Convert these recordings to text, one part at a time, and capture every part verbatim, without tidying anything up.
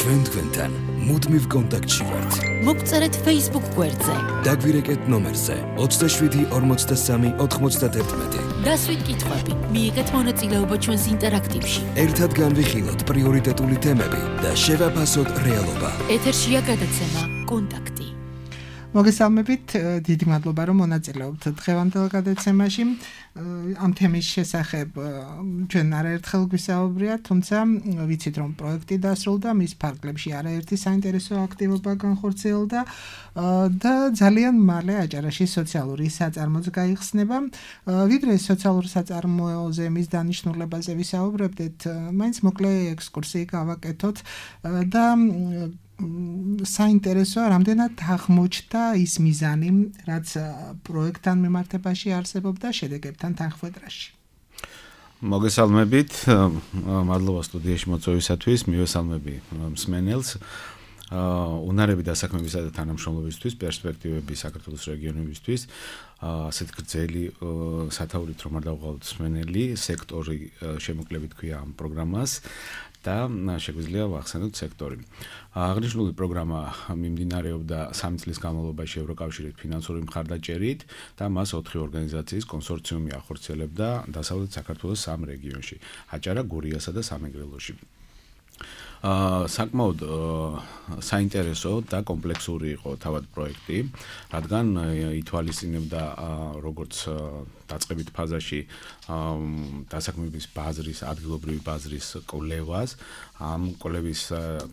ჩვენ თქვენთან მუდმივ კონტაქტში ვართ. მოგწერეთ Facebook გვერდზე. დაგვირეკეთ ნომერზე ოცდაშვიდი ორმოცდასამი ოთხმოცდაათერთმეტი. დასვით კითხვები, მიიღეთ მონაწილეობა ჩვენს ინტერაქტივში. ერთად განვიხილოთ პრიორიტეტული თემები და შევაფასოთ რეალობა. ეთერშია გადაცემა კონტაქტი. მოგესალმებით, დიდი მადლობა რომ მონაწილეობთ დღევანდელ გადაცემაში. ამ თემის შესახებ ჩვენ არაერთხელ გვისაუბრია, თუმცა ვიცით რომ პროექტი დასრულდა, მის ფარგლებში არაერთი საინტერესო აქტივობა განხორციელდა და ძალიან მალე აჭარაში სოციალური საწარმოც გაიხსნება. ვიდრე სოციალურ საწარმოზე მის დანიშნულებაზე ვისაუბრებდეთ, მაინც მოკლე ექსკურსი გავაკეთოთ და საინტერესოა, რამდენად აღმოჩნდა ის მიზანი, რაც პროექტთან მიმართებაში არსებობდა შედეგებთან თანხმდროში. მოგესალმებით, მადლობა სტუდიაში მოწვევისათვის, მივესალმები მსმენელს. უნარები დასაქმებისა და თანამშრომლობისთვის, პერსპექტივები საქართველოს რეგიონებისთვის, ასეთ გრძელი სათაურით რომ არ დავყავთ მსმენელი, სექტორი შემოკლებით ქვია ამ პროგრამას და შეგვიძლია ვახსენოთ სექტორი. აღნიშნული პროგრამა მიმდინარეობდა სამი წლის განმავლობაში ევროკავშირის ფინანსური მხარდაჭერით და მას ოთხი ორგანიზაციის კონსორციუმი ახორციელებდა დასავლეთ საქართველოს სამ რეგიონში: აჭარა, გურიასა და სამეგრელოში. აა საკმაოდ საინტერესო და კომპლექსური იყო თავად პროექტი, რადგან ითვალისწინებდა როგორც დაწყებით ფაზაში დასაქმების ბაზრის, ადგილობრივი ბაზრის კვლევას, ამ კვლევის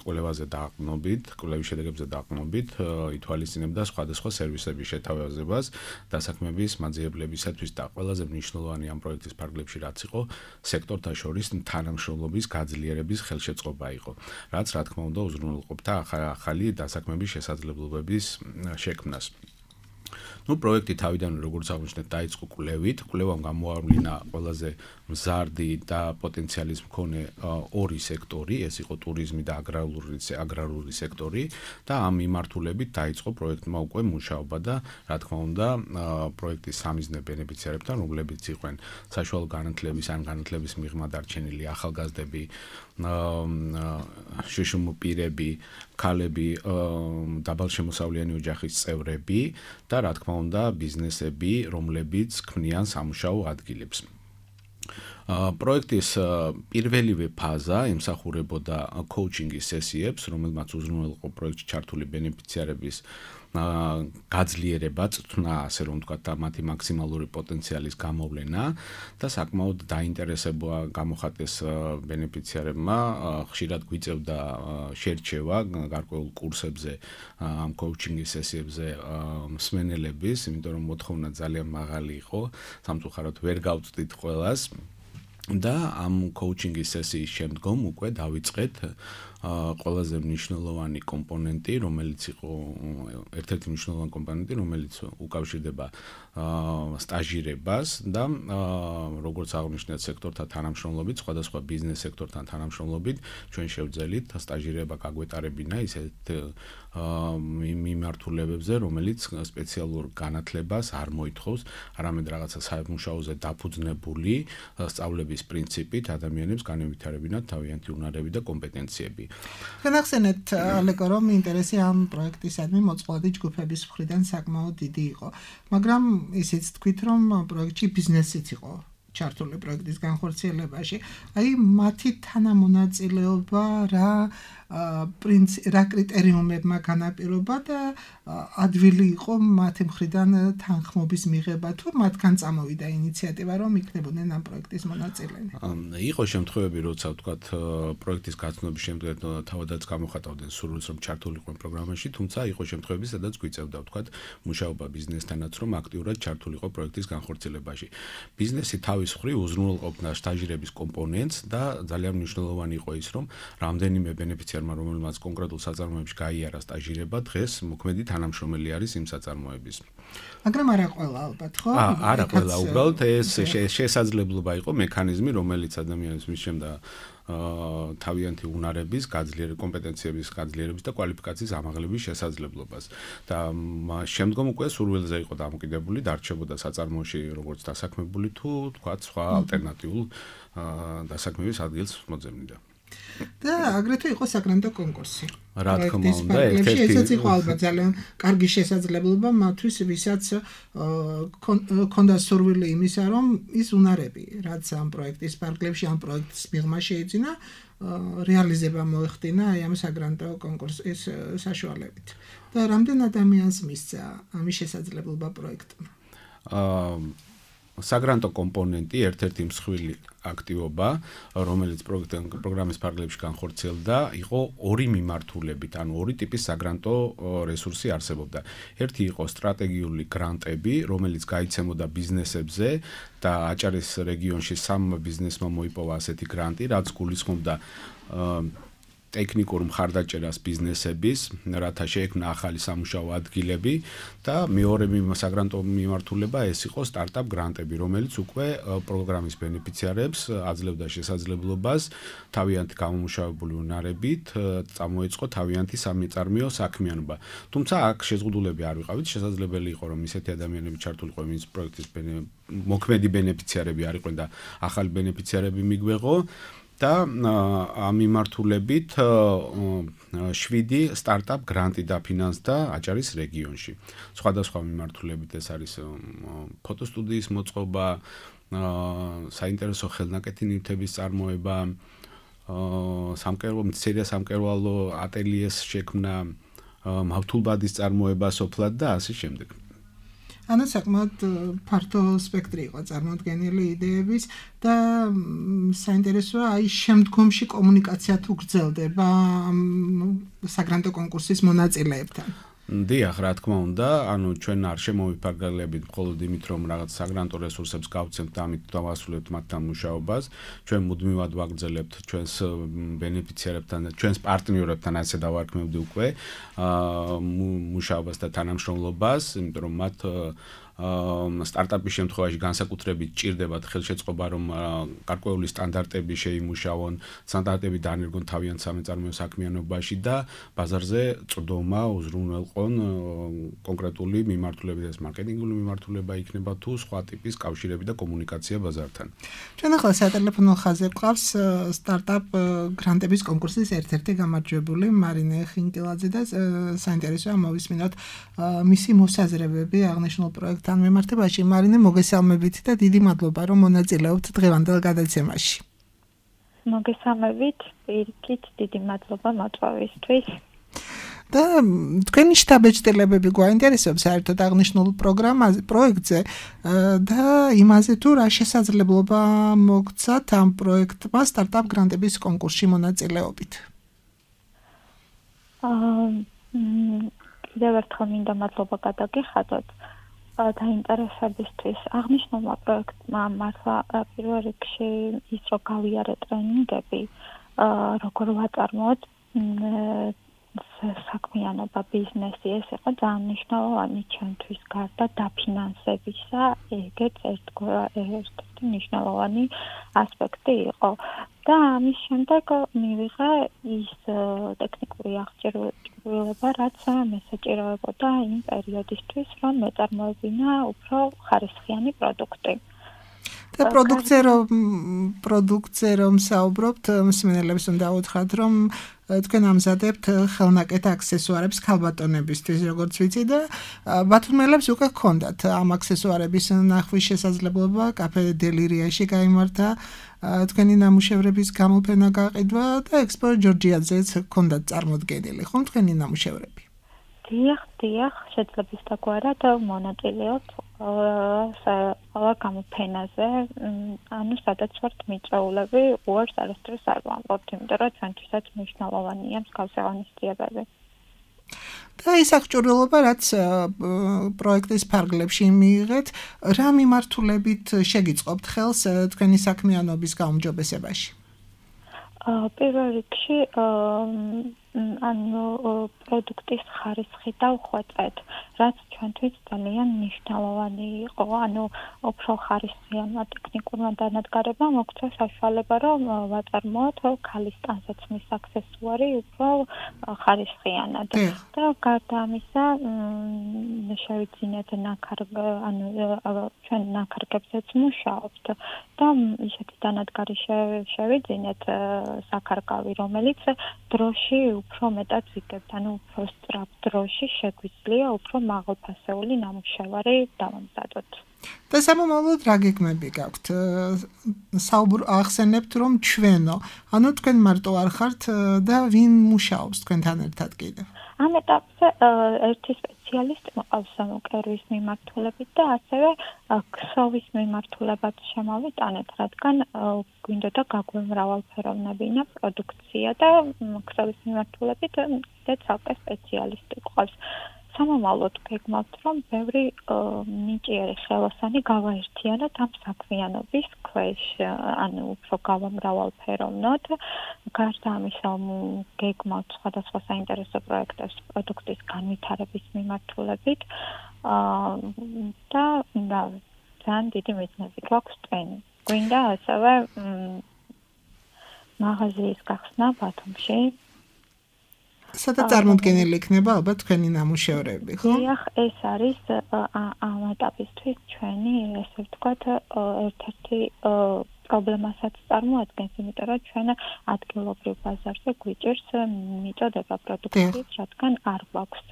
კვლევაზე დაყრდნობით, კვლევის შედეგებზე დაყრდნობით ითვალისწინებდა სხვადასხვა სერვისების შეთავაზებას დასაქმების მაძიებლებისათვის და ყველაზე მნიშვნელოვანი ამ პროექტის ფარგლებში რაც იყო, სექტორთა შორის თანამშრომლობის გაძლიერების ხელშეწყობა იყო, რაც რა თქმა უნდა უზრუნველყოფდა ახალი დასაქმების შესაძლებლობების შექმნას. ნუ პროექტი თავიდან როგორც აღნიშნეთ დაიწყო კვლევით, კვლევამ გამოავლინა ყველაზე მზარდი და პოტენციალის მქონე ორი სექტორი, ეს იყო ტურიზმი და აგრარული აგრარული სექტორი და ამ მიმართულებით დაიწყო პროექტმა უკვე მუშაობა და რა თქმა უნდა პროექტის სამიზნე ბენეფიციარებთან, რომლებიც იყვნენ საშუალო განათლების ან განათლების მიღმა დარჩენილი ახალგაზრდები, შუშუმ პირები, ქალები, დაბალშემოსავლიანი ოჯახის წევრები და რა თქმა უნდა ბიზნესები, რომლებიც ქმნიან სამუშაო ადგილებს. პროექტის პირველივე ფაზა ემსახურებოდა კოუჩინგის სესიებს, რომელმაც უზრუნველყო პროექტში ჩართული ბენეფიციარების გაძლიერება, წვრთნა, ასე რომ ვთქვათ, და მათი მაქსიმალური პოტენციალის გამოვლენა და საკმაოდ დაინტერესება გამოხატეს ბენეფიციარებმა, ხშირად გვიწევდა შერჩევა გარკვეულ კურსებზე, ამ კოუჩინგის სესიებზე მსმენელების, იმიტომ რომ მოთხოვნა ძალიან მაღალი იყო, სამწუხაროდ ვერ გავწვდით ყველას. და ამ კოუჩინგის სესიის შემდგომ უკვე დავიწყეთ ყველაზე მნიშვნელოვანი კომპონენტი, რომელიც იყო ერთ-ერთი მნიშვნელოვანი კომპონენტი, რომელიც უკავშირდება სტაჟირებას და როგორც აღნიშნეთ სექტორთა თანამშრომლობით, სხვადასხვა ბიზნეს სექტორთან თანამშრომლობით, ჩვენ შევძელით სტაჟირება გაგვეტარებინა ისეთ მიმართულებებზე, რომელიც სპეციალურ განათლებას არ მოითხოვს, არამედ რაღაცა სამუშაოზე დაფუძნებული სწავლების პრინციპით ადამიანებს განევითარებინათ თავიანთი უნარები და კომპეტენციები. განახსენეთ ალეკო, რომ ინტერესი ამ პროექტისადმი მოწყვლადი ჯგუფების მხრიდან საკმაოდ დიდი იყო, მაგრამ ისიც თქვით, რომ პროექტში ბიზნესიც იყო ჩართული პროექტის განხორციელებაში. აი მათი თანამონაწილეობა რა პრინციპ რა კრიტერიუმებმა განაპირობა და ადვილი იყო მათი მხრიდან თანხმობის მიღება თუ მათგან წამოვიდა ინიციატივა რომ იქნებოდნენ ამ პროექტის მონაწილენი. იყო შემთხვევები, როცა ვთქვათ პროექტის გაცნობის შემდეგ თავადაც გამოხატავდნენ სურვილს რომ ჩართულიყვნენ პროგრამაში, თუმცა იყო შემთხვევები, სადაც გვიწევდა ვთქვათ მუშაობა ბიზნესთანაც რომ აქტიურად ჩართულიყო პროექტის განხორციელებაში. ბიზნესი თავის მხრივ უზრუნველყოფდა სტაჟირების კომპონენტს და ძალიან მნიშვნელოვანი იყო ის რომ რამდენიმე ბენეფიციარი რომელმაც კონკრეტულ საწარმოებში გაიარა სტაჟირება, დღეს მოქმედი თანამშრომელი არის იმ საწარმოების. მაგრამ არა ყველა ალბათ, ხო? არა ყველა, უბრალოდ ეს შესაძლებლობა იყო მექანიზმი, რომელიც ადამიანებს მისცემდა თავიანთი უნარების, გაძლიერების, კომპეტენციების გაძლიერების და კვალიფიკაციის ამაღლების შესაძლებლობას. და შემდგომ უკვე სურვილზე იყო დამოკიდებული, დარჩებოდა საწარმოში როგორც დასაქმებული თუ თქვათ სხვა ალტერნატიულ დასაქმების ადგილს მოძებნიდა. და აგრეთვე იყო საგრანტო კონკურსი. რა თქმა უნდა, ერთ-ერთი ესაც იყო ალბათ ძალიან კარგი შესაძლებლობა მათთვის, ვისაც ქონდა სურვილი იმისა, რომ ის უნარები, რაც ამ პროექტის პარკლებში, ამ პროექტის მიღმა შეიძინა, რეალიზება მოეხდინა აი ამ საგრანტო კონკურსის საშუალებით. და რამდენ ადამიანს მისცა ამის შესაძლებლობა პროექტმა? აა საგრანტო კომპონენტი ერთ-ერთი მსხვილი აქტივობა, რომელიც პროგრამის ფარგლებში განხორციელდა, იყო ორი მიმართულებით, ანუ ორი ტიპის საგრანტო რესურსი არსებობდა. ერთი იყო სტრატეგიული გრანტები, რომელიც გაიცემოდა ბიზნესებზე და აჭარის რეგიონში სამ ბიზნესმა მოიპოვა ასეთი გრანტი, რაც გულისხმობდა ტექნიკურ მხარდაჭერას ბიზნესების, რათა შეექმნა ახალი სამუშაო ადგილები და მეორე საგრანტო მიმართულება ეს იყო სტარტაპ გრანტები, რომელიც უკვე პროგრამის ბენეფიციარებს აძლევდა შესაძლებლობას თავიანთი გამომუშავებული უნარებით წამოეწყო თავიანთი სამეწარმეო საქმიანობა. თუმცა აქ შეზღუდულები არ ვიყავით, შესაძლებელი იყო რომ ისეთი ადამიანები ჩართულიყო იმის პროექტის მოქმედი ბენეფიციარები არ იყვნენ და ახალი ბენეფიციარები მიგვეღო. და ამ მიმართულებით შვიდი სტარტაპ გრანტი დაფინანსდა აჭარის რეგიონში. სხვადასხვა მიმართულებით ეს არის ფოტოსტუდიის მოწყობა, საინტერესო ხელნაკეთი ნივთების წარმოება, სამკერვალო მცირე სამკერვალო ატელიეს შექმნა, მავთულბადის წარმოება სოფლად და ასე შემდეგ. ანუ საკმაოდ ფართო სპექტრი იყო წარმოდგენილი იდეების და საინტერესოა აი შემდგომში კომუნიკაცია თუ გრძელდება საგრანტო კონკურსის მონაწილეებთან. დიახ, რა თქმა უნდა, ანუ ჩვენ არ შემოვიფარგლებით მხოლოდ იმით, რომ რაღაც საგრანტო რესურსებს გავცემთ და ამით დავასრულებთ მათთან მუშაობას, ჩვენ მუდმივად ვაგრძელებთ ჩვენს ბენეფიციარებთან და ჩვენს პარტნიორებთან, ასე დავარქმევდი უკვე, მუშაობას და თანამშრომლობას, იმიტომ რომ მათ სტარტაპის შემთხვევაში განსაკუთრებით ჭირდებათ ხელშეწყობა, რომ გარკვეული სტანდარტები შეიმუშაონ, სტანდარტები დაანერგონ თავიანთ სამეწარმეო საქმიანობაში და ბაზარზე წვდომა უზრუნველყონ კონკრეტული მიმართულებით, ეს მარკეტინგული მიმართულება იქნება თუ სხვა ტიპის კავშირები და კომუნიკაცია ბაზართან. ჩვენ ახლა სატელეფონო ხაზზე გვყავს სტარტაპ გრანტების კონკურსის ერთ-ერთი გამარჯვებული მარინე ხინკილაძე და საინტერესოა მოვისმინოთ მისი მოსაზრებები აღნიშნულ პროექტ თან მიმართებაში. მარინე, მოგესალმებით და დიდი მადლობა რომ მონაწილეობთ დღევანდელ გადაცემაში. მოგესალმებით, პირიქით, დიდი მადლობა მოწვევისთვის. და თქვენი შტაბ-ეჭვდებები გვაინტერესებს საერთოდ აღნიშნულ პროგრამაზე, პროექტზე და იმაზე თუ რა შესაძლებლობა მოგცათ ამ პროექტმა სტარტაპ გრანტების კონკურსში მონაწილეობით. აა კიდევ ერთხელ მინდა მადლობა გადაგიხადოთ დაინტერესებისთვის. აღნიშნულმა პროექტმა მართლა პირველ რიგში ის რომ გავიარე ტრენინგები, როგორ ვაწარმოოთ საქმიანობა, ბიზნესი, ეს იყო ძალიან მნიშვნელოვანი ჩვენთვის გარდა დაფინანსებისა, ეგეც ერთ-ერთი მნიშვნელოვანი ასპექტი იყო. და ამის შემდეგ მივიღე ის ტექნიკური აღჭურვილება, რაც მესაჭიროებოდა იმ პერიოდისთვის, რომ მეწარმოებინა უფრო ხარისხიანი პროდუქტი. და პროდუქცია რომ პროდუქცია რომ საუბრობთ, მსმენელებს უნდა უთხრათ, რომ თქვენ ამზადებთ ხელნაკეთ აქსესუარებს ქალბატონებისთვის, როგორც ვიცი და ბათუმელებს უკვე ჰქონდათ ამ აქსესუარების ნახვის შესაძლებლობა, კაფე დელირიაში გაიმართა თქვენი ნამუშევრების გამოფენა გაყიდვა და ექსპო ჯორჯიაძეც ჰქონდათ წარმოდგენილი, ხომ თქვენი ნამუშევრები? დიახ, დიახ, შეძლებს დაგვარად მონაწილეობთ ყველა გამოფენაზე, ანუ სადაც ვართ მიწვეულები, უარს არასდროს არ ვამბობთ, იმიტომ რომ ჩვენთვისაც მნიშვნელოვანია მსგავსი ღონისძიებები. და ის აღჭურვილობა, რაც პროექტის ფარგლებში მიიღეთ, რა მიმართულებით შეგიწყობთ ხელს თქვენი საქმიანობის გაუმჯობესებაში? პირველ რიგში ანუ პროდუქტის ხარისხი დავხვეწეთ, რაც ჩვენთვის ძალიან მნიშვნელოვანი იყო, ანუ უფრო ხარისხიანმა ტექნიკურმა დანადგარებამ მოგცა საშუალება, რომ ვაწარმოოთ ქალის ტანსაცმლის აქსესუარი უფრო ხარისხიანად. და გარდა ამისა, შევიძინეთ ნაქარგ, ანუ ჩვენ ნაქარგებზეც მუშაობთ და ისეთი დანადგარი შევიძინეთ საქარგავი, რომელიც დროში უფრო მეტად ვიგებთ, ანუ უფრო სწრაფ დროში შეგვიძლია უფრო მაღალფასეული ნამუშევარი დავამზადოთ. და სამომავლოდ რა გეგმები გაქვთ? საუბარ ახსენებთ რომ ჩვენო, ანუ თქვენ მარტო არ ხართ და ვინ მუშაობს თქვენთან ერთად კიდევ? ამ ეტაპზე ერთი სპეციალისტი მყავს კერვის მიმართულებით და ასევე ქსოვის მიმართულებაც შემოვიტანეთ, რადგან გვინდოდა გაგვემრავალფეროვნებინა პროდუქცია და ქსოვის მიმართულებით კიდე ცალკე სპეციალისტი ყავს. სამომავლოდ გეგმავთ, რომ ბევრი ნიჭიერი ხელოსანი გავაერთიანოთ ამ საქმიანობის ქვეშ, ანუ უფრო გავამრავალფეროვნოთ. გარდა ამისა, გეგმავთ სხვადასხვა საინტერესო პროექტებს პროდუქტის განვითარების მიმართულებით და ძალიან დიდი მიზნები გვაქვს ტვენი. გვინდა ასევე მაღაზიის გახსნა ბათუმში. სადაც წარმოდგენილი იქნება ალბათ თქვენი ნამუშევრები, ხო? დიახ, ეს არის ამ ეტაპისთვის ჩვენი, ესე ვთქვათ, ერთ-ერთი პრობლემასაც წარმოადგენს, იმიტომ რომ ჩვენ ადგილობრივ ბაზარზე გვიჭირს მიწოდება პროდუქციის, რადგან არ გვაქვს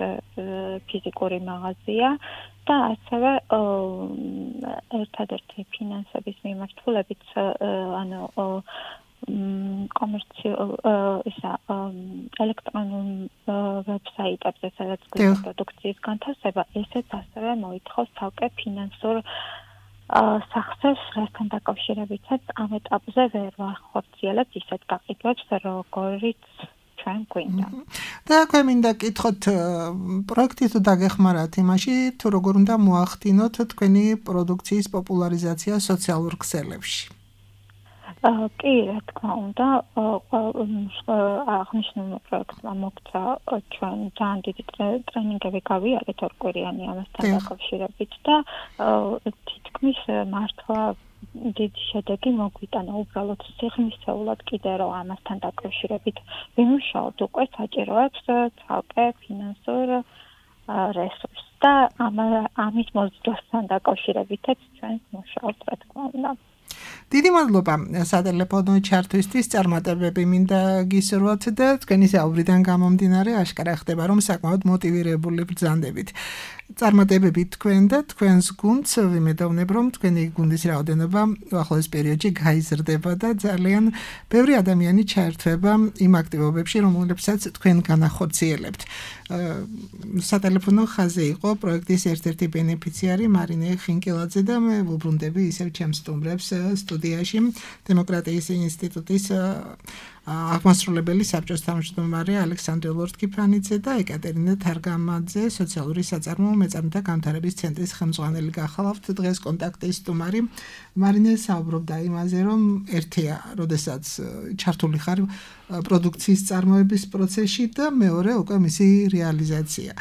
ფიზიკური მაღაზია და ასევე ერთადერთი ფინანსების მიმართულებით, ანუ კომერციულ ისა ელექტრონულ ვებსაიტებზე, სადაც გვაქვს პროდუქციის განთავსება, ესეც ასევე მოითხოვს ცალკე ფინანსურ სახსრებს, რასთან დაკავშირებითაც ამ ეტაპზე ვერ ვახორციელებთ ისეთ გაყიდვებს, როგორიც ჩვენ გვინდა. და აქვე მინდა კითხოთ, პროექტი თუ დაგეხმარათ იმაში, თუ როგორ უნდა მოახდინოთ თქვენი პროდუქციის პოპულარიზაცია სოციალურ ქსელებში? კი, რა თქმა უნდა, აღნიშნულმა პროექტმა მოგცა ჩვენ ძალიან დიდი ტრენინგები გავიარეთ ორკვირიანი ამასთან დაკავშირებით და თითქმის მართლა დიდი შედეგი მოგვიტანა. უბრალოდ სიღრმისეულად კიდე რომ ამასთან დაკავშირებით ვიმუშაოთ, უკვე საჭიროებს ცალკე ფინანსურ რესურსს და ამის მოსდევასთან დაკავშირებითაც ჩვენ ვმუშაობთ, რა თქმა უნდა. დიდი მადლობა სატელეფონო ჩართვისთვის, წარმატებები მინდა გისურვოთ და თქვენი საუბრიდან გამომდინარე აშკარა ხდება, რომ საკმაოდ მოტივირებული ბრძანდებით. წარმატებები თქვენ და თქვენს გუნდს, ვიმედოვნებ, რომ თქვენი გუნდის რაოდენობა უახლოეს პერიოდში გაიზრდება და ძალიან ბევრი ადამიანი ჩაერთვება იმ აქტივობებში, რომლებსაც თქვენ განახორციელებთ. სატელეფონო ხაზი იყო პროექტის ერთ-ერთი ბენეფიციარი მარინე ხინკელაძე და მე ვუბრუნდები ისევ ჩემს სტუმრებს სტუდიაში დემოკრატიის ინსტიტუტის აღმასრულებელი საბჭოს თავმჯდომარე ალექსანდრე ლორთქიფანიძე და ეკატერინა თარგამაძე, სოციალური საწარმოო მეწარმეთა განვითარების ცენტრის ხელმძღვანელი გახალავთ. დღეს კონტაქტის სტუმარი მარინე საუბრობდა იმაზე, რომ ერთია, როდესაც ჩართული ხარ პროდუქციის წარმოების პროცესში და მეორე უკვე მისი რეალიზაცია.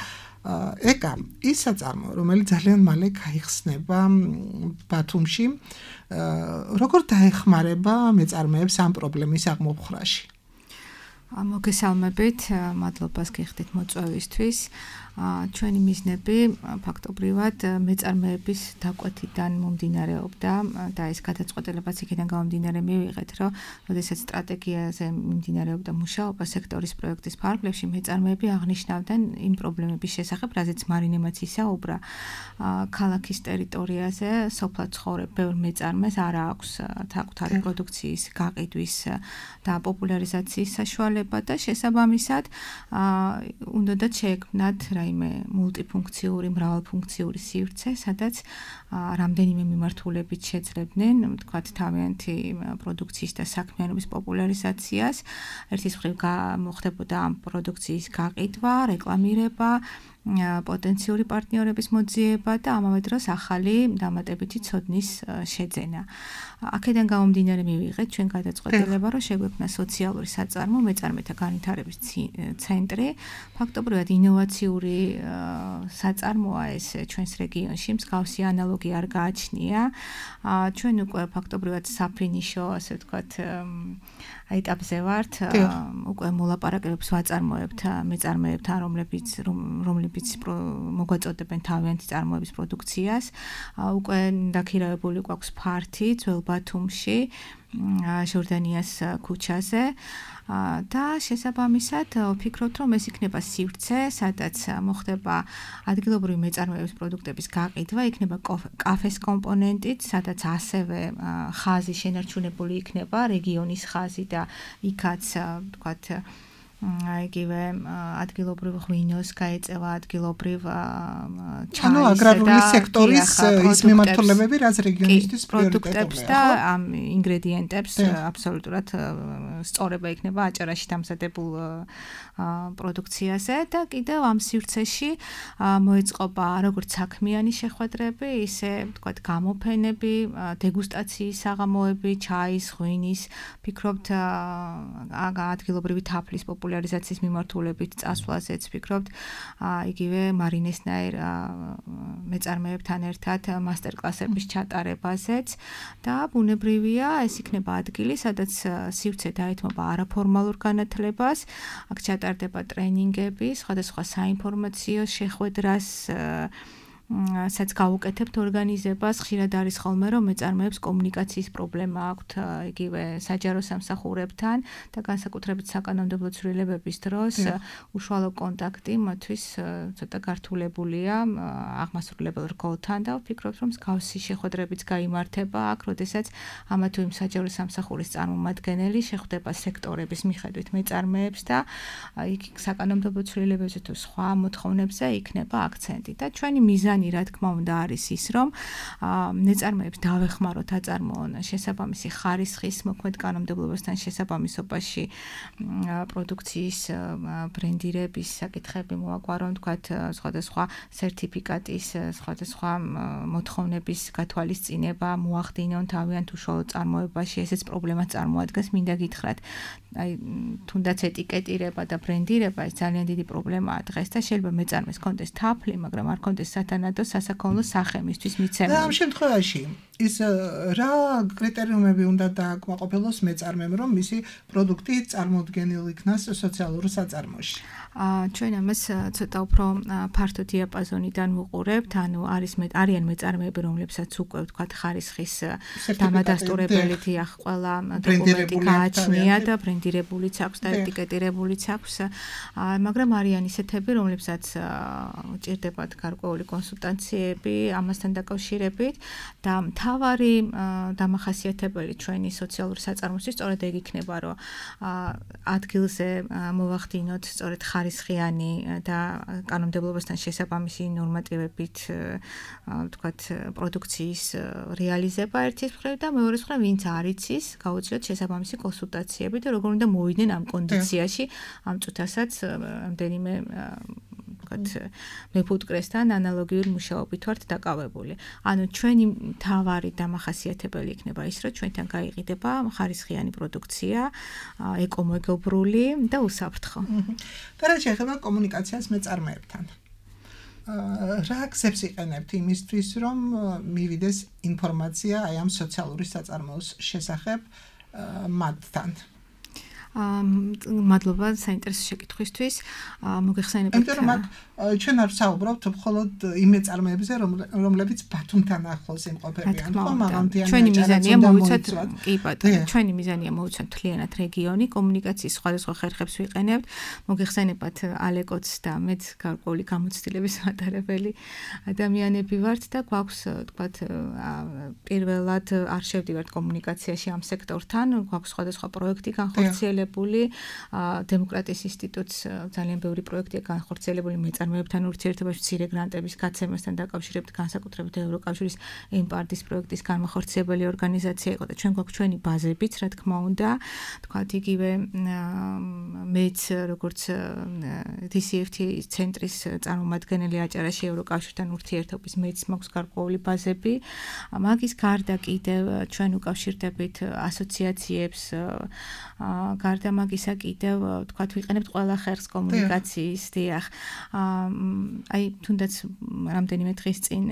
ეკა, ის საწარმო, რომელიც ძალიან მალე გაიხსნება ბათუმში, როგორ დაეხმარება მეწარმეებს ამ პრობლემის აღმოფხრაში? მოგესალმებით, მადლობას გიხდით მოწვევისთვის. ჩვენი მიზნები ფაქტობრივად მეწარმეების დაკვეთიდან მომდინარეობდა და ეს გადაწყვეტილებაც იქიდან გამომდინარე მივიღეთ, რომ როდესაც სტრატეგიაზე მიმდინარეობდა მუშაობა სექტორის პროექტის ფარგლებში, მეწარმეები აღნიშნავდნენ იმ პრობლემების შესახებ, რაზეც მარინემაც ისაუბრა. ქალაქის ტერიტორიაზე სოფლად ცხოვრებ ბევრ მეწარმეს არ აქვს საკუთარი პროდუქციის გაყიდვის და პოპულარიზაციის საშუალება და შესაბამისად უნდათ შეექმნათ რაიმე მულტიფუნქციური, მრავალფუნქციური სივრცე, სადაც რამდენიმე მიმართულებით შეძლებდნენ, თქვათ, თავიანთი პროდუქციის და საქმიანობის პოპულარიზაციას. ერთის მხრივ მოხდებოდა ამ პროდუქციის გაყიდვა, რეკლამირება, პოტენციური პარტნიორების მოძიება და ამავე დროს ახალი დამატებითი ცოდნის შეძენა. აქედან გამომდინარე მივიღეთ ჩვენ გადაწყვეტილება, რომ შეგვექმნა სოციალური საწარმო მეწარმეთა განვითარების ცენტრი. ფაქტობრივად ინოვაციური საწარმოა ეს ჩვენს რეგიონში, მსგავსი ანალოგი არ გააჩნია. ჩვენ უკვე ფაქტობრივად საფინიშო, ასე ვთქვათ, ეტაპზე ვართ, უკვე მოლაპარაკებებს ვაწარმოებთ მეწარმეებთან, რომლებიც რომლებიც რომლებიც მოგვაწოდებენ თავიანთი წარმოების პროდუქციას. უკვე დაქირავებული გვაქვს ფართი ძველ ბათუმში, ჟორდანიას ქუჩაზე. და შესაბამისად ვფიქრობთ, რომ ეს იქნება სივრცე, სადაც მოხდება ადგილობრივი მეწარმეების პროდუქტების გაყიდვა, იქნება კაფეს კომპონენტით, სადაც ასევე ხაზი შენარჩუნებული იქნება, რეგიონის ხაზი და იქაც ვთქვათ იგივე ადგილობრივ ღვინოს გაეწევა ადგილობრივ ჩაის ანუ აგრარული სექტორის ის მიმართულებები რაც რეგიონისთვის პროდუქტებს და ამ ინგრედიენტებს აბსოლუტურად სწორება იქნება აჭარაში დამზადებულ პროდუქციაზე და კიდევ ამ სივრცეში მოეწყობა როგორც საქმიანი შეხვედრები, ისე ვთქვათ გამოფენები, დეგუსტაციის საღამოები, ჩაის, ღვინის, ვფიქრობთ ადგილობრივი თაფლის პოპულარიზაციის მიმართულებით წასვლაზეც ვფიქრობთ, იგივე მარინესნაირ მეწარმეებთან ერთად მასტერკლასების ჩატარებაზეც და ბუნებრივია ეს იქნება ადგილი, სადაც სივრცე დაეთმობა არაფორმალურ განათლებას, აქ ჩატარდება ტრენინგები, სხვადასხვა საინფორმაციო შეხვედრას სადაც გავუკეთებთ ორგანიზებას, ხშირად არის ხოლმე რომ მეწარმეებს კომუნიკაციის პრობლემა აქვთ იგივე საჯარო სამსახურებთან და განსაკუთრებით საკანონმდებლო ცვლილებების დროს უშუალო კონტაქტი მათთვის ცოტა გართულებულია აღმასრულებელ რგოლთან და ვფიქრობთ რომ მსგავსი შეხვედრებიც გაიმართება აქ, როდესაც ამა თუ იმ საჯარო სამსახურის წარმომადგენელი შეხვდება სექტორების მიხედვით მეწარმეებს და იქ საკანონმდებლო ცვლილებებზე თუ სხვა მოთხოვნებზე იქნება აქცენტი და ჩვენი მიზანი რა თქმა უნდა არის ის რომ მეწარმეებს დავეხმაროთ აწარმოონ შესაბამისი ხარისხის მოქმედ კანონმდებლობასთან შესაბამისობაში პროდუქციის ბრენდირების საკითხები მოაგვარონ თქვათ სხვადასხვა სერტიფიკატის სხვადასხვა მოთხოვნების გათვალისწინება მოახდინონ თავიანთ უშუალო წარმოებაში ესეც პრობლემას წარმოადგენს მინდა გითხრათ აი თუნდაც ეტიკეტირება და ბრენდირება ეს ძალიან დიდი პრობლემაა დღეს და შეიძლება მეწარმეს კონდეს თაფლი მაგრამ არ კონდეს სათანადო სასაქონლო სახე მისთვის მიცემული. და ამ შემთხვევაში ის რა კრიტერიუმები უნდა დააკმაყოფილოს მეწარმემ რომ მისი პროდუქტი წარმოუდგენილ იქნას სოციალურ საწარმოში? ჩვენ ამას ცოტა უფრო ფართო დიაპაზონიდან ვუყურებთ, ანუ არის არიან მეწარმეები, რომლებსაც უკვე ვთქვათ ხარისხის დამადასტურებელი დიახ, ყველა დოკუმენტი გააჩნია და ბრენდირებულიც აქვს და ეტიკეტირებულიც აქვს, მაგრამ არიან ისეთები, რომლებსაც ჭირდებათ გარკვეული კონსულტაციები ამასთან დაკავშირებით და მთავარი დამახასიათებელი ჩვენი სოციალური საწარმოსთვის სწორედ ეგ იქნება, რომ ადგილზე მოვახდინოთ სწორედ ხარისხიანი და კანონმდებლობასთან შესაბამისი ნორმატივებით ვთქვათ პროდუქციის რეალიზება ერთის მხრივ და მეორეს მხრივ ვინც არ იცის გაუწიოთ შესაბამისი კონსულტაციები და როგორ უნდა მოვიდნენ ამ კონდიციაში ამ წუთასაც რამდენიმე ვთქვათ მეფუტკრესთან ანალოგიური მუშაობით ვართ დაკავებული. ანუ ჩვენი მთავარი დამახასიათებელი იქნება ის, რომ ჩვენთან გაიყიდება ხარისხიანი პროდუქცია, ეკომეგობრული და უსაფრთხო. და რა შეეხება კომუნიკაციას მეწარმეებთან? რა აქცებს იყენებთ იმისთვის, რომ მივიდეს ინფორმაცია აი ამ სოციალური საწარმოოს შესახებ მათთან? მადლობა საინტერესო შეკითხვისთვის. მოგეხსენებათ. იმიტომ რომ ჩვენ არ ვსაუბრობთ მხოლოდ იმ მეწარმეებზე, რომლებიც ბათუმთან ახლოს იმყოფებიან, ხო, მაღალმთიანი ჩვენი მიზანია მოვიცოთ, კი ბატონო, ჩვენი მიზანია მოვიცოთ მთლიანად რეგიონი, კომუნიკაციის სხვადასხვა ხერხებს ვიყენებთ. მოგეხსენებათ ალეკოც და მეც გარკვეული გამოცდილების მატარებელი ადამიანები ვართ და გვაქვს, თქვათ, პირველად არ შევდივართ კომუნიკაციაში ამ სექტორთან, გვაქვს სხვადასხვა პროექტი განხორციელებული დემოკრატიის ინსტიტუტს ძალიან ბევრი პროექტია განხორციელებული მეწარმეებთან ურთიერთობაში მცირე გრანტების გაცემასთან დაკავშირებით განსაკუთრებით ევროკავშირის ემპარდის პროექტის განმახორციელებელი ორგანიზაცია იყო და ჩვენ გვაქვს ჩვენი ბაზებიც რა თქმა უნდა თქვათ იგივე მეც როგორც დი სი ეფ თი ცენტრის წარმომადგენელი აჭარაში ევროკავშირთან ურთიერთობის მეც მაქვს გარკვეული ბაზები მაგის გარდა კიდევ ჩვენ უკავშირდებით ასოციაციებს გარდა მაგისა კიდევ თქვათ ვიყენებთ ყველა ხერხს კომუნიკაციის დიახ აი თუნდაც რამდენიმე დღის წინ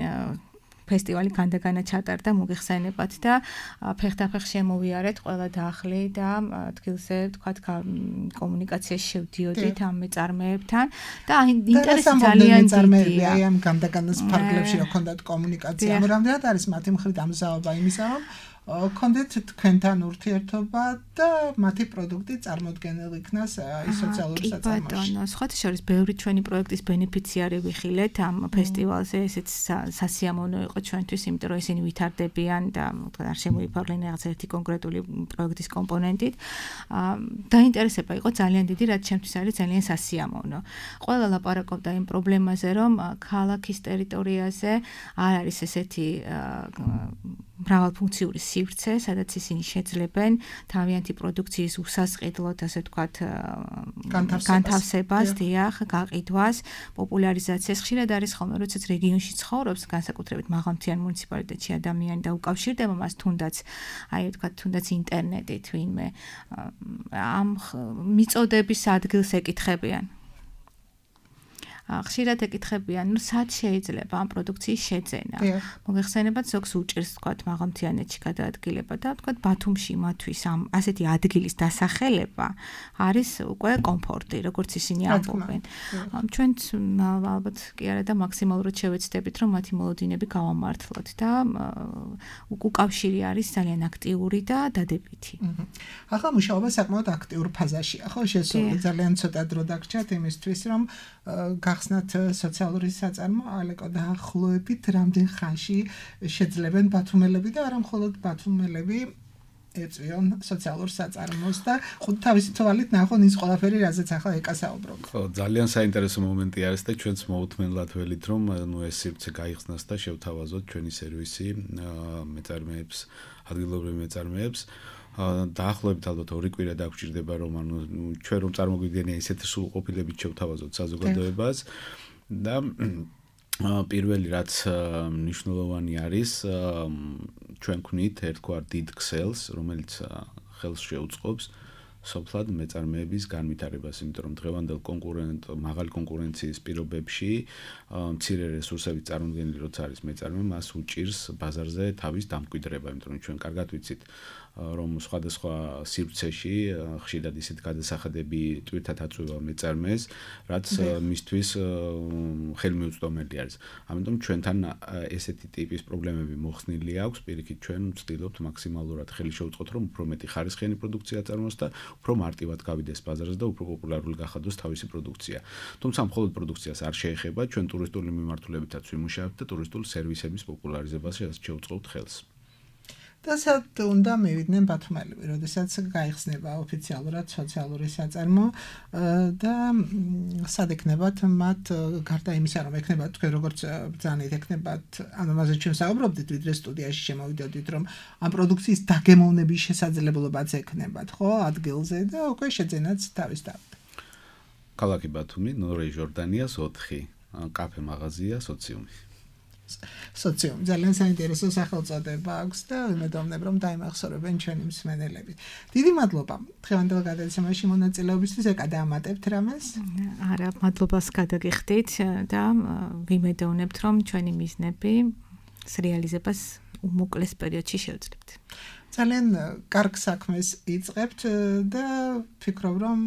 ფესტივალი განდაგანა ჩატარდა მოგეხსენებათ და ფეხდაფეხ შემოვიარეთ ყველა დახლი და ადგილზე თქვათ კომუნიკაციაში შევდიოდით ამ მეწარმეებთან და ინტერესი ძალიან დიდია. აი ამ განდაგანას ფარგლებში რა ქონდათ კომუნიკაცია, რამდენად არის მათი მხრიდან ამზაობა იმისა, რომ კონდეთ თქვენთან ურთიერთობა და მათი პროდუქტი წარმოდგენილ იქნას ის სოციალური საწარმოში. ბატონო, სხვათა შორის ბევრი ჩვენი პროექტის ბენეფიციარი ვიხილეთ ამ ფესტივალზე, ესეც სასიამოვნო იყო ჩვენთვის, იმიტომ რომ ისინი ვითარდებიან და არ შემოიფარგლენ რაღაც ერთი კონკრეტული პროექტის კომპონენტით. დაინტერესება იყო ძალიან დიდი, რაც ჩემთვის არის ძალიან სასიამოვნო. ყველა ლაპარაკობდა იმ პრობლემაზე, რომ ქალაქის ტერიტორიაზე არ არის ესეთი მრავალფუნქციური სივრცე, სადაც ისინი შეძლებენ თავიანთი პროდუქციის უსასყიდლოდ, ასე ვთქვათ, განთავსებას, დიახ, გაყიდვას, პოპულარიზაციას. ხშირად არის ხოლმე, როდესაც რეგიონში ცხოვრობს, განსაკუთრებით მაღალმთიან მუნიციპალიტეტში ადამიანი და უკავშირდება მას თუნდაც, აი ვთქვათ, თუნდაც ინტერნეტით ვინმე ამ მიწოდების ადგილს ეკითხებიან. ხშირად ეკითხებიან, ნუ სად შეიძლება ამ პროდუქციის შეძენა. მოგეხსენებათ, ზოგს უჭირს თქვათ მაღალმთიანეთში გადაადგილება და თქვათ ბათუმში მათთვის ამ ასეთი ადგილის დასახელება არის უკვე კომფორტი, როგორც ისინი ამბობენ. ჩვენც ალბათ კი არა და მაქსიმალურად შევეცდებით, რომ მათი მოლოდინები გავამართლოთ და უკავშირი არის ძალიან აქტიური და დადებითი. ახლა მუშაობა საკმაოდ აქტიურ ფაზაშია, ხო? შესული ძალიან ცოტა დრო დაგრჩათ იმისთვის, რომ გახსნათ სოციალური საწარმო, ალეკო დაახლოებით რამდენ ხანში შეძლებენ ბათუმელები და არა მხოლოდ ბათუმელები ეწვიონ სოციალურ საწარმოს და ხუთ თავისი თვალით ნახონ ის ყველაფერი, რაზეც ახლა ეკასაუბრობ. ხო, ძალიან საინტერესო მომენტი არის და ჩვენც მოუთმენლად ველით, რომ ნუ ეს სივრცე გაიხსნას და შევთავაზოთ ჩვენი სერვისი მეწარმეებს, ადგილობრივ მეწარმეებს. დაახლოებით ალბათ ორი კვირა დაგვჭირდება, რომ ანუ ჩვენ რომ წარმოგვიდგენია ისეთი სრულყოფილებით შევთავაზოთ საზოგადოებას და პირველი რაც მნიშვნელოვანი არის, ჩვენ გვქნით ერთგვარ დიდ ქსელს, რომელიც ხელს შეუწყობს სოფლად მეწარმეების განვითარებას, იმიტომ რომ დღევანდელ კონკურენტ მაღალი კონკურენციის პირობებში მცირე რესურსებით წარმოდგენილი როცა არის მეწარმე, მას უჭირს ბაზარზე თავის დამკვიდრება, იმიტომ რომ ჩვენ კარგად ვიცით რომ სხვადასხვა სივრცეში ხშირად ისეთ გადასახადები ტვირთად აწვევა მეწარმეს, რაც მისთვის ხელმიუწვდომელი არის. ამიტომ ჩვენთან ესეთი ტიპის პრობლემები მოხსნილი აქვს, პირიქით ჩვენ ვცდილობთ მაქსიმალურად ხელი შევუწყოთ, რომ უფრო მეტი ხარისხიანი პროდუქცია აწარმოოს და უფრო მარტივად გავიდეს ბაზარზე და უფრო პოპულარული გახადოს თავისი პროდუქცია. თუმცა მხოლოდ პროდუქციას არ შეეხება, ჩვენ ტურისტული მიმართულებითაც ვიმუშავებთ და ტურისტული სერვისების პოპულარიზებაში შევუწყობთ ხელს. და სად უნდა მივიდნენ ბათუმელები, როდესაც გაიხსნება ოფიციალურად სოციალური საწარმო და სად ეკნებათ მათ გარდა იმისა, რომ ეკნებათ თქვენ როგორც ბრძანით ეკნებათ, ანუ მასე ჩვენ საუბრობდით, ვიდრე სტუდიაში შემოვიდოდით, რომ ამ პროდუქციის დაგემოვნების შესაძლებლობაც ეკნებათ, ხო, ადგილზე და უკვე შეძენაც თავის თავად. ქალაქი ბათუმი, ნორე ჟორდანიას ოთხი, კაფე მაღაზია, სოციუმი. სოციუმი ძალიან საინტერესო სახელწოდება აქვს და ვიმედოვნებ, რომ დაიმახსოვრებენ ჩვენი მსმენელები. დიდი მადლობა დღევანდელ გადაცემაში მონაწილეობისთვის, ეკა დაამატებთ რამეს? არა, მადლობას გადაგიხდით და ვიმედოვნებთ, რომ ჩვენი მიზნები რეალიზებას უმოკლეს პერიოდში შევძლებთ. ძალიან კარგ საქმეს იწყებთ და ვფიქრობ, რომ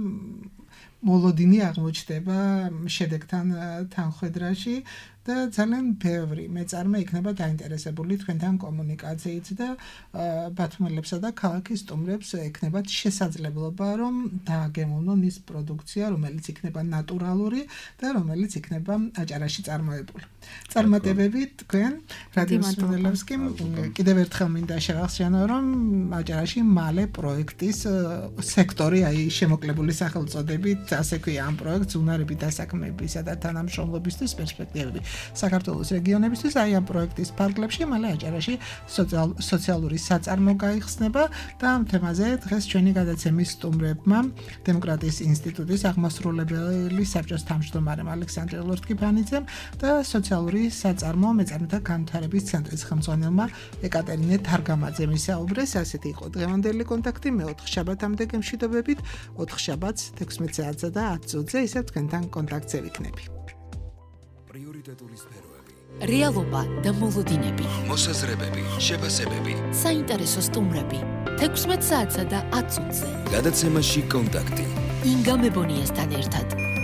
მოლოდინი აღმოჩნდება შედეგთან თანხვედრაში და ძალიან ბევრი მეწარმე იქნება დაინტერესებული თქვენთან კომუნიკაციით და ბათუმელებსა და ქალაქის სტუმრებს ექნებათ შესაძლებლობა, რომ დააგემოვნონ ის პროდუქცია, რომელიც იქნება ნატურალური და რომელიც იქნება აჭარაში წარმოებული. წარმატებები თქვენ რადიო მსმენელებს კი კიდევ ერთხელ მინდა შევახსენო, რომ აჭარაში მალე პროექტის სექტორი, აი შემოკლებული სახელწოდებით, ასე ქვია ამ პროექტს უნარები დასაქმებისა და თანამშრომლობისთვის პერსპექტივები. საქართველოს რეგიონებისთვის აი ამ პროექტის ფარგლებში მალე აჭარაში სოციალური საწარმო გაიხსნება და ამ თემაზე დღეს ჩვენი გადაცემის სტუმრებმა დემოკრატიის ინსტიტუტის აღმასრულებელი საბჭოს თავმჯდომარემ ალექსანდრე ლორთქიფანიძემ და სოციალური საწარმო მეწარმეთა განვითარების ცენტრის ხელმძღვანელმა ეკატერინე თარგამაძემ ისაუბრეს. ასეთი იყო დღევანდელი კონტაქტი. მეოთხე შაბათამდე გემშვიდობებით. ოთხ შაბათს თექვსმეტ საათსა და ათ წუთზე ისევ თქვენთან კონტაქტზე ვიქნები. პრიორიტეტული სფეროები რეალობა და მოლოდინები, მოსაზრებები, შეფასებები, საინტერესო სტუმრები. თექვსმეტ საათსა და ათ წუთზე. გადაცემაში კონტაქტი. ინგა მებონიასთან ერთად.